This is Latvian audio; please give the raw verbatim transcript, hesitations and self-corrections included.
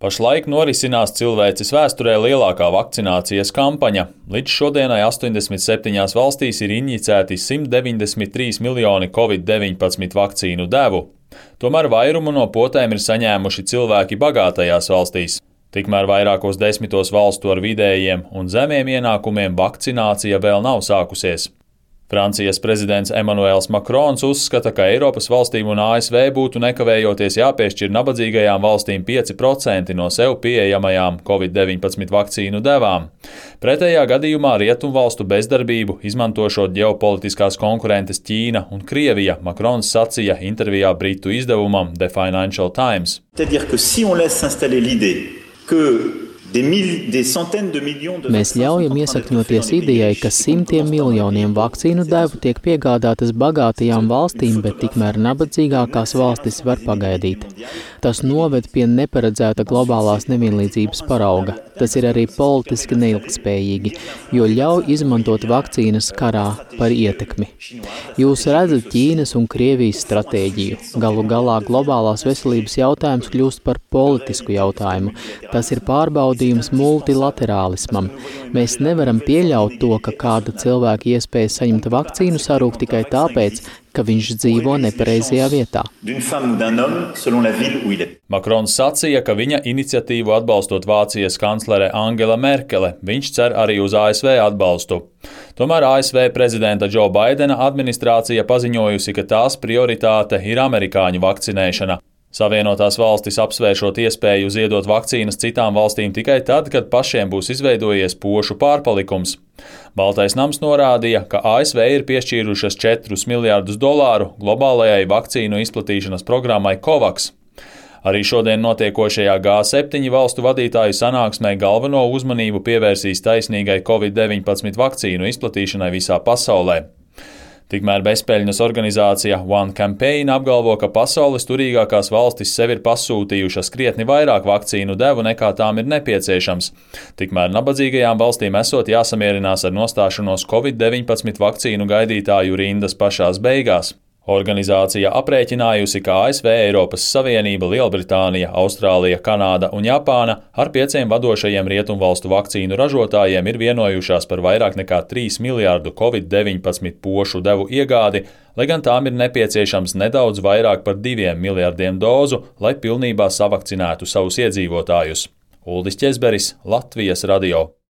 Pašlaik norisinās cilvēces vēsturē lielākā vakcinācijas kampaņa. Līdz šodienai astoņdesmit septiņās valstīs ir injicēti simt deviņdesmit trīs miljoni covid deviņpadsmit vakcīnu devu. Tomēr vairumu no potēm ir saņēmuši cilvēki bagātajās valstīs. Tikmēr vairākos desmitos valstu ar vidējiem un zemiem ienākumiem vakcinācija vēl nav sākusies. Francijas prezidents Emmanuels Macrons uzskata, ka Eiropas valstīm un A S V būtu nekavējoties jāpiešķir nabadzīgajām valstīm pieci procenti no sev pieejamajām covid deviņpadsmit vakcīnu devām. Pretējā gadījumā rietumvalstu bezdarbību izmantošot ģeopolitiskās konkurentes Ķīna un Krievija, Macrons sacīja intervijā britu izdevumam The Financial Times. C'est-à-dire que si on laisse s'installer l'idée que Mēs ļaujam iesakņoties idejai, ka simtiem miljoniem vakcīnu devu tiek piegādātas bagātajām valstīm, bet tikmēr nabadzīgākās valstis var pagaidīt. Tas noved pie neparedzēta globālās nevienlīdzības parauga. Tas ir arī politiski neilgtspējīgi, jo ļauj izmantot vakcīnas karā par ietekmi. Jūs redzat Ķīnas un Krievijas stratēģiju. Galu galā globālās veselības jautājums kļūst par politisku jautājumu. Tas ir pārbaudījums multilaterālismam. Mēs nevaram pieļaut to, ka kāda cilvēka iespēja saņemt vakcīnu sarūk tikai tāpēc, ka viņš dzīvo nepareizajā vietā. Macrons sacīja, ka viņa iniciatīvu atbalstot Vācijas kanclere Angela Merkele, viņš cer arī uz A S V atbalstu. Tomēr A S V prezidenta Džo Baidena administrācija paziņojusi, ka tās prioritāte ir amerikāņu vakcinēšana. Savienotās valstis apsvēršot iespēju ziedot vakcīnas citām valstīm tikai tad, kad pašiem būs izveidojies pošu pārpalikums. Baltais nams norādīja, ka A S V ir piešķīrušas četrus miljardus dolāru globālajai vakcīnu izplatīšanas programmai COVAX. Arī šodien notiekošajā G septiņi valstu vadītāju sanāksmē galveno uzmanību pievērsīs taisnīgai covid deviņpadsmit vakcīnu izplatīšanai visā pasaulē. Tikmēr bezpeļņas organizācija One Campaign apgalvo, ka pasaules turīgākās valstis sev ir pasūtījušas krietni vairāk vakcīnu devu nekā tām ir nepieciešams. Tikmēr nabadzīgajām valstīm esot jāsamierinās ar nostāšanos covid deviņpadsmit vakcīnu gaidītāju rindas pašās beigās. Organizācija aprēķinājusi, ka A S V, Eiropas Savienība, Lielbritānija, Austrālija, Kanāda un Japāna ar pieciem vadošajiem rietumvalstu vakcīnu ražotājiem ir vienojušās par vairāk nekā trīs miljārdu covid deviņpadsmit pošu devu iegādi, lai gan tām ir nepieciešams nedaudz vairāk par diviem miljardiem dozu, lai pilnībā savakcinētu savus iedzīvotājus. Uldis Ķezberis, Latvijas radio.